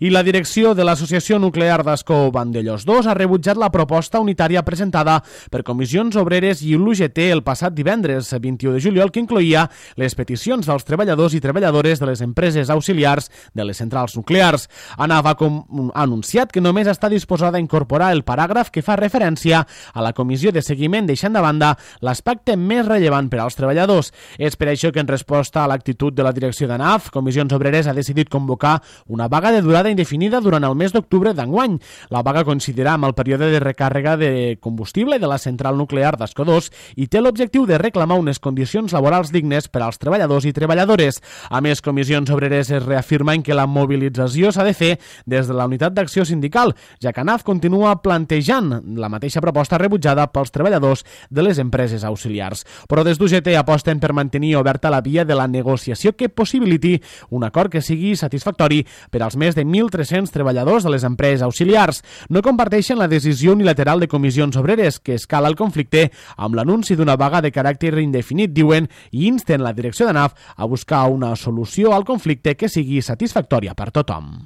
I la direcció de l'Associació Nuclear d'Ascó Vandellòs 2 ha rebutjat la proposta unitària presentada per Comissions Obreres i l'UGT el passat divendres 21 de juliol, que incloïa les peticions dels treballadors i treballadores de les empreses auxiliars de les centrals nuclears. ANAF ha anunciat que només està disposada a incorporar el paràgraf que fa referència a la comissió de seguiment, deixant de banda l'aspecte més rellevant per als treballadors. És per això que, en resposta a l'actitud de la direcció d'ANAF, Comissions Obreres ha decidit convocar una vaga de durada indefinida durant el mes d'octubre d'enguany. La vaga coincidirà amb el període de recàrrega de combustible de la central nuclear d'Ascó 2 i té l'objectiu de reclamar unes condicions laborals dignes per als treballadors i treballadores. A més, Comissions Obreres es reafirmen que la mobilització s'ha de fer des de la unitat d'acció sindical, ja que ANAF continua plantejant la mateixa proposta rebutjada pels treballadors de les empreses auxiliars. Però des d'UGT aposten per mantenir oberta la via de la negociació que possibiliti un acord que sigui satisfactori per als més de 1.300 treballadors de les empreses auxiliars. No comparteixen la decisió unilateral de Comissions Obreres, que escala el conflicte amb l'anunci d'una vaga de caràcter indefinit, diuen, i insten la direcció d'ANAF a buscar una solució al conflicte que sigui satisfactòria per tothom.